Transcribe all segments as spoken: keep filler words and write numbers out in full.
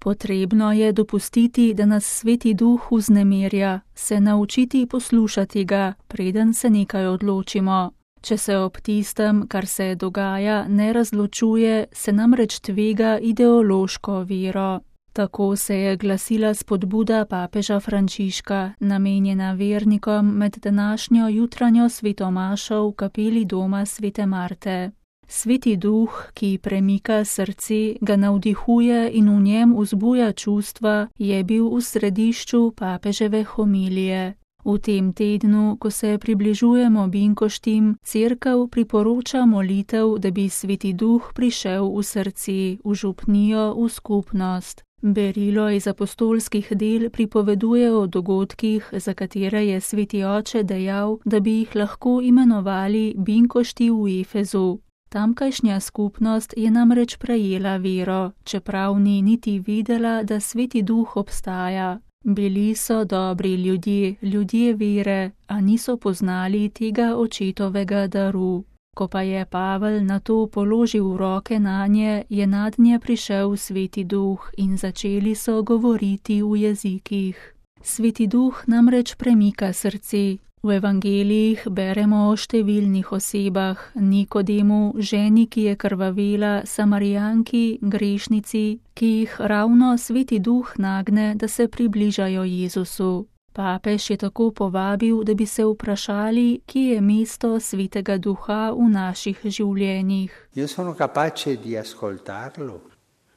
Potrebno je dopustiti, da nas Sveti Duh vznemirja, se naučiti poslušati ga, preden se nekaj odločimo. Če se ob tistem, kar se dogaja, ne razločuje, se namreč tvega ideološko vero. Tako se je glasila spodbuda papeža Frančiška, namenjena vernikom med današnjo jutranjo svetomašo v kapeli doma svete Marte. Sveti Duh, ki premika srce, ga navdihuje in v njem vzbuja čustva, je bil v središču papeževe homilije. V tem tednu, ko se približujemo binkoštim, cerkev priporoča molitev, da bi Sveti Duh prišel v srce, v župnijo, v skupnost. Berilo iz apostolskih del pripoveduje o dogodkih, za katere je Sveti Oče dejal, da bi jih lahko imenovali binkošti v Efezu. Tamkajšnja skupnost je namreč prejela vero, čeprav ni niti videla, da Sveti Duh obstaja. Bili so dobri ljudje, ljudje vere, a niso poznali tega očetovega daru. Ko pa je Pavel na to položil roke nanje, je nadnje prišel Sveti Duh in začeli so govoriti v jezikih. Sveti Duh namreč premika srce. V evangelijih beremo o številnih osebah, Nikodemu, ženi, ki je krvavela, Samarijanki, grešnici, ki jih ravno Sveti Duh nagne, da se približajo Jezusu. Papež je tako povabil, da bi se vprašali, kje je mesto Svetega Duha v naših življenjih. Io sono capace di ascoltarlo.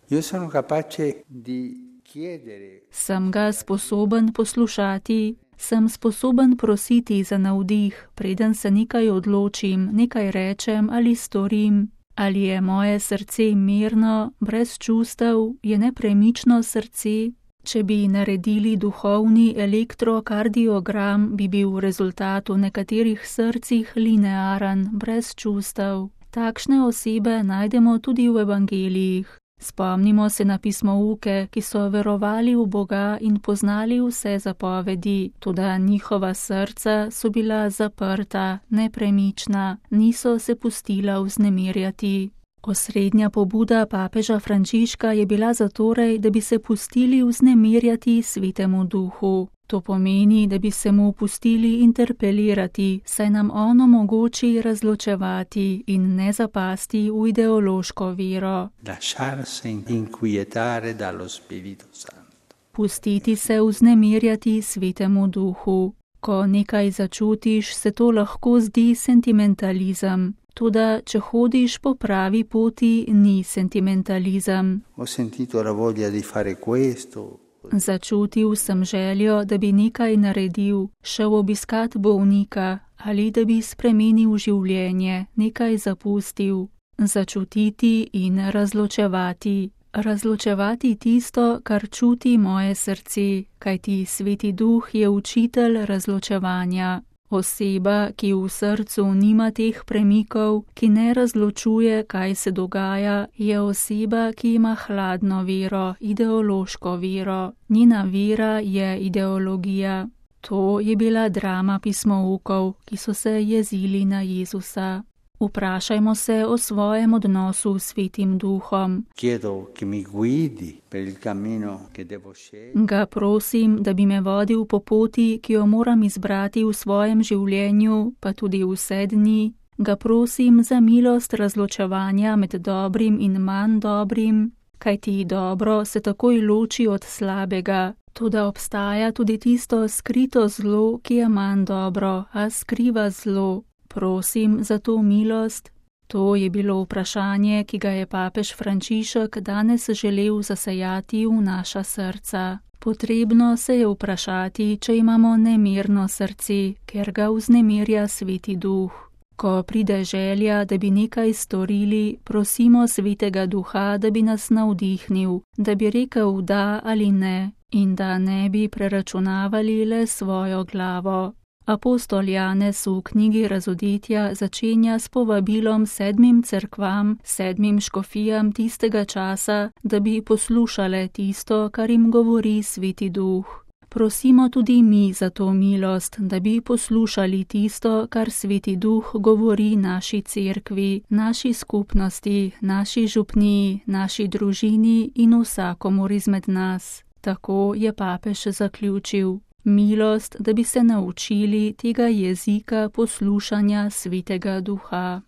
Io sono capace di chiedere. Sem ga sposoben poslušati. Sem sposoben prositi za navdih, preden se nekaj odločim, nekaj rečem ali storim. Ali je moje srce mirno, brez čustev, je nepremično srce? Če bi naredili duhovni elektrokardiogram, bi bil rezultat v nekaterih srcih linearen, brez čustev. Takšne osebe najdemo tudi v evangelijih. Spomnimo se na pismouke, ki so verovali v Boga in poznali vse zapovedi, toda njihova srca so bila zaprta, nepremična, niso se pustila vznemirjati. Osrednja pobuda papeža Frančiška je bila zatorej, da bi se pustili vznemirjati Svetemu Duhu. To pomeni, da bi se mu pustili interpelirati, saj nam on omogoči razločevati in ne zapasti v ideološko vero. Pustiti se vznemirjati Svetemu Duhu. Ko nekaj začutiš, se to lahko zdi sentimentalizem. Toda, če hodiš po pravi poti, ni sentimentalizem. Ho sentito la voglia di fare questo. Začutil sem željo, da bi nekaj naredil, šel obiskat bolnika ali da bi spremenil življenje, nekaj zapustil. Začutiti in razločevati. Razločevati tisto, kar čuti moje srce, kajti Sveti Duh je učitelj razločevanja. Oseba, ki v srcu nima teh premikov, ki ne razločuje, kaj se dogaja, je oseba, ki ima hladno vero, ideološko vero. Njena vera je ideologija. To je bila drama pismoukov, ki so se jezili na Jezusa. Vprašajmo se o svojem odnosu s Svetim Duhom. Ga prosim, da bi me vodil po poti, ki jo moram izbrati v svojem življenju, pa tudi vse dni. Ga prosim za milost razločevanja med dobrim in manj dobrim, kajti dobro se takoj loči od slabega. Toda obstaja tudi tisto skrito zlo, ki je manj dobro, a skriva zlo. Prosim za to milost. To je bilo vprašanje, ki ga je papež Frančišek danes želel zasejati v naša srca. Potrebno se je vprašati, če imamo nemirno srce, ker ga vznemirja Sveti Duh. Ko pride želja, da bi nekaj storili, prosimo Svetega Duha, da bi nas navdihnil, da bi rekel da ali ne in da ne bi preračunavali le svojo glavo. Apostol Janez v knjigi Razodetja začenja s povabilom sedmim cerkvam, sedmim škofijam tistega časa, da bi poslušale tisto, kar jim govori Sveti Duh. Prosimo tudi mi za to milost, da bi poslušali tisto, kar Sveti Duh govori naši cerkvi, naši skupnosti, naši župniji, naši družini in vsakomur izmed nas. Tako je papež zaključil. Milost, da bi se naučili tega jezika poslušanja Svetega Duha.